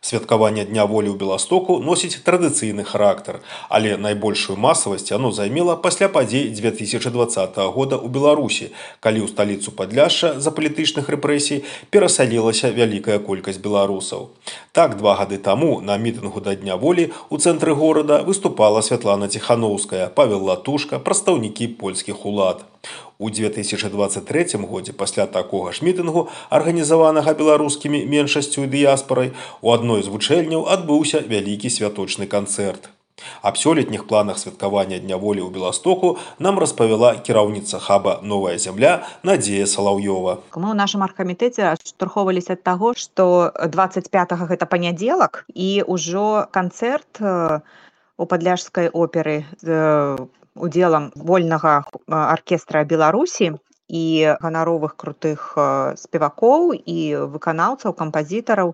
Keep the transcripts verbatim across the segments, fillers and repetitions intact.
Святкаванне Дня волі ў Беластоку носіць традыцыйны характар, але найбольшую масавасць яно займела пасля падзей дзве тысячы дваццатага года ў Беларусі, калі ў сталіцу Падляшша з-за палітычных рэпрэсій перасалілася вялікая колькасць беларусаў. Так, два гады таму на мітынгу да Дня волі ў цэнтры горада выступала Святлана Ціханаўская, Павел Латушка, прадстаўнікі польскіх улад. У дзве тысячы дваццаць трэцім годзе пасля такога ж мітынгу, арганізаванага беларускімі меншасцю і дыяспарай, у адной з вучэльняў адбыўся вялікі святочны канцэрт. Аб сёлетніх планах святкавання Дня волі ў Беластоку нам распавяла кіраўніца хаба «Новая зямля» Надзея Салаўёва. Мы ў нашым аргкамітэце адштурхоўваліся ад таго, што дваццаць пятага гэта панядзелак, і ўжо канцэрт у падляшскай оперы з удзелам вольнага аркестра Беларусі і ганаровых крутых спевакоў і выканаўцаў, кампазітараў.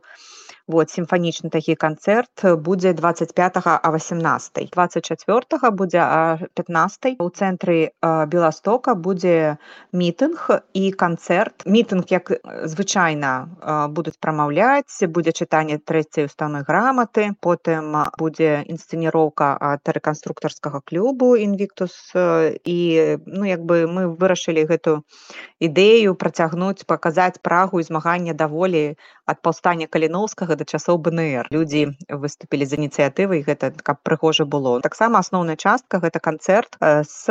Вот, сімфанічны такі канцэрт будзе дваццаць пятага а васямнастай. дваццаць чацвёртага будзе а пятнастай. У цэнтры Беластока будзе мітынг і канцэрт. Мітынг, як звычайна, будуць прамаўляць, будзе чытанне трэцяй уставной граматы, потым будзе інсцэніроўка ад рэканструктарскага клубу «Інвіктус». І, ну, як бы мы вырашылі гэту ідэю працягнуць, паказаць прагу і змаганне да волі ад паўстання Каліноўскага да часоў бэ эн эр. Людзі выступілі з ініцыятывай, гэта каб прыгожа было. Таксама асноўная частка гэта канцэрт з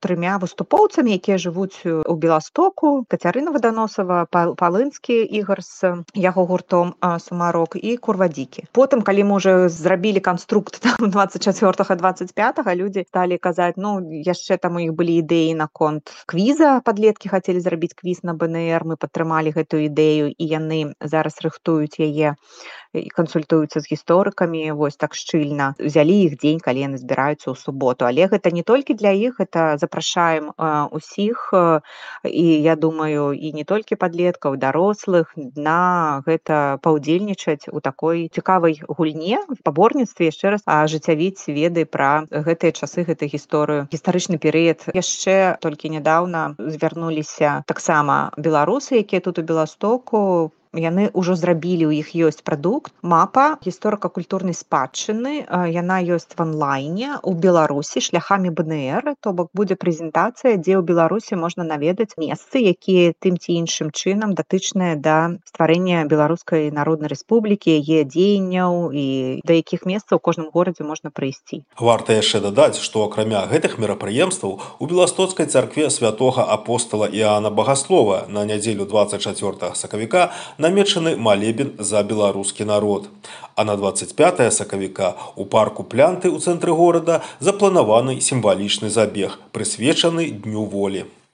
трымя выступоўцамі, якія жывуць у Беластоку: Кацярына Ваданосава, Палынскі Ігар з яго гуртом «Сумарок» і Курвадзікі. Потым, калі мы ўжо зрабілі канструкт дваццаць чацвёртага дваццаць пятага, людзі сталі казаць, ну, яшчэ там у іх былі ідэі наконт квіза, падлеткі хацелі зрабіць квіз на бэ эн эр, мы падтрымалі гэтую ідэю, і яны зараз рыхтуюць яе і кансультуюцца з гісторыкамі, вось так шчыльна. Узялі іх дзень, калі яны збіраюцца ў суботу. Але гэта не толькі для іх, гэта запрашаем усіх, і я думаю, і не толькі падлеткаў, дарослых, на гэта паўдзельнічаць у такой цікавай гульне, спаборніцтве, яшчэ раз ажыццявіць веды пра гэтыя часы, гэтую гісторыю, гістарычны перыяд. Яшчэ толькі нядаўна звярнуліся таксама беларусы, якія тут у Беластоку. Яны ўжо зрабілі, у іх ёсць прадукт, мапа гісторыка-культурнай спадчыны, яна ёсць в онлайне у Беларусі шляхамі бэ эн эр, то бок будзе прэзентацыя, дзе ў Беларусі можна наведаць месцы, якія тым ці іншым чынам датычныя да стварэння Беларускай Народнай Рэспублікі, яе дзеянняў, і да якіх месцаў у кожным горадзе можна прыйсці. Варта яшчэ дадаць, што акрамя гэтых мерапрыемстваў у Беластоцкай царкве святога апостала Іана Багаслова на нядзелю дваццаць чацвёртага сакавіка намечаны малебен за беларускі народ. А на дваццаць пятага сакавіка у парку Плянты ў цэнтры горада запланаваны сімвалічны забег, прысвечаны Дню волі.